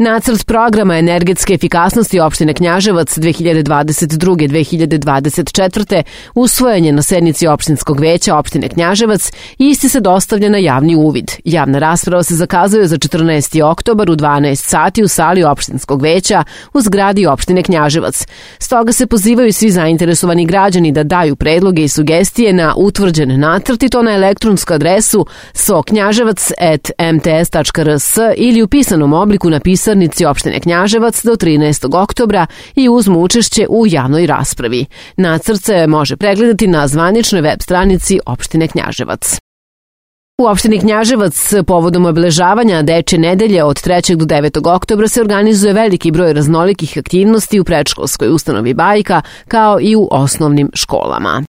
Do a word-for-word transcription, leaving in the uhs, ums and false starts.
Nacrt programa energetske efikasnosti opštine Knjaževac dve hiljade dvadeset druge do dve hiljade dvadeset četvrte usvojen je na sednici opštinskog veća opštine Knjaževac i isti se dostavlja na javni uvid. Javna rasprava se zakazuje za četrnaesti oktobar u dvanaest sati u sali opštinskog veća u zgradi opštine Knjaževac. Stoga se pozivaju svi zainteresovani građani da daju predloge i sugestije na utvrđen nacrt i to na elektronsku adresu soknjaževac at m t s tačka r s ili u pisanom obliku na pisarnici opštine Knjaževac do trinaestog oktobra i uzmu učešće u javnoj raspravi. Nacrt se može pregledati na zvaničnoj web stranici opštine Knjaževac. U opštini Knjaževac povodom obeležavanja Dečje nedelje od trećeg do devetog oktobra se organizuje veliki broj raznolikih aktivnosti u predškolskoj ustanovi Bajka kao i u osnovnim školama.